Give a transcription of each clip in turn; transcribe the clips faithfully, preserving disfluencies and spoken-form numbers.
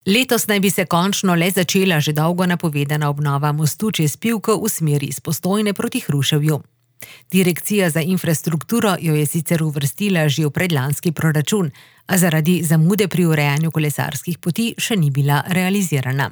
Letos naj bi se končno le začela že dolgo napovedana obnova mostu čez Pivko v smeri iz Postojne proti Hruševju. Direkcija za infrastrukturo jo je sicer uvrstila že v predlanski proračun, a zaradi zamude pri urejanju kolesarskih poti še ni bila realizirana.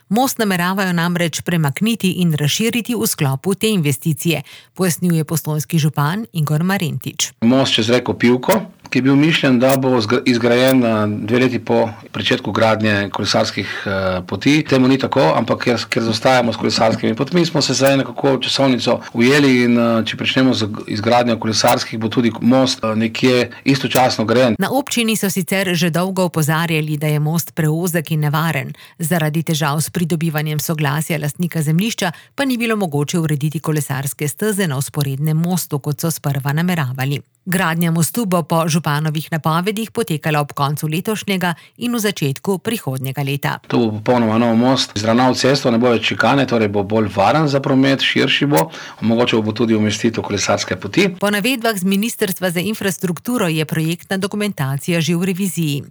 Most nameravajo namreč premakniti in razširiti v sklopu te investicije, pojasnjuje postojnski župan Igor Marentič. Most čez reko Pivko, ki je bil mišljen, da bo izgrajen dve leti po pričetku gradnje kolesarskih poti. Temu ni tako, ampak ker, ker zostajamo s kolesarskimi potmi, smo se zdaj nekako časovnico ujeli in če pričnemo z izgradnjo kolesarskih, bo tudi most nekje istočasno grajen. Na občini so sicer že dolgo opozarjali, da je most preozek in nevaren. Zaradi težav s pridobivanjem soglasja lastnika zemljišča pa ni bilo mogoče urediti kolesarske steze na vzporednem mostu, kot so sprva nameravali. Gradnja mostu bo po županovih napovedih potekala ob koncu letošnjega in v začetku prihodnjega leta. To bo popolnoma nov most, izravnal cesto, ne bo več šikane, torej bo bolj varen za promet, širši bo, omogočal bo tudi umestitev kolesarske poti. Po navedbah z Ministrstva za infrastrukturo je projektna dokumentacija že v reviziji.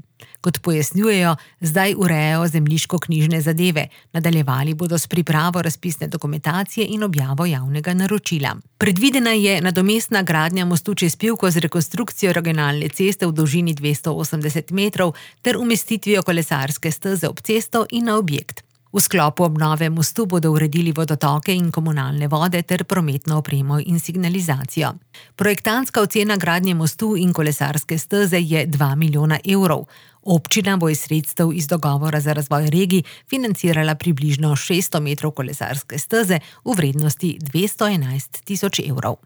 Kot pojasnjujejo, zdaj urejajo zemljiško-knjižne zadeve, nadaljevali bodo s pripravo razpisne dokumentacije in objavo javnega naročila. Predvidena je nadomestna gradnja mostu čez Pivko z rekonstrukcijo regionalne ceste v dolžini dvesto osemdeset metrov ter umestitvijo kolesarske steze ob cesto in na objekt. V sklopu obnove mostu bodo uredili vodotoke in komunalne vode ter prometno opremo in signalizacijo. Projektantska ocena gradnje mostu in kolesarske steze je dva milijona evrov. Občina bo iz sredstev iz dogovora za razvoj regij financirala približno šeststo metrov kolesarske steze v vrednosti dvesto enajst tisoč evrov.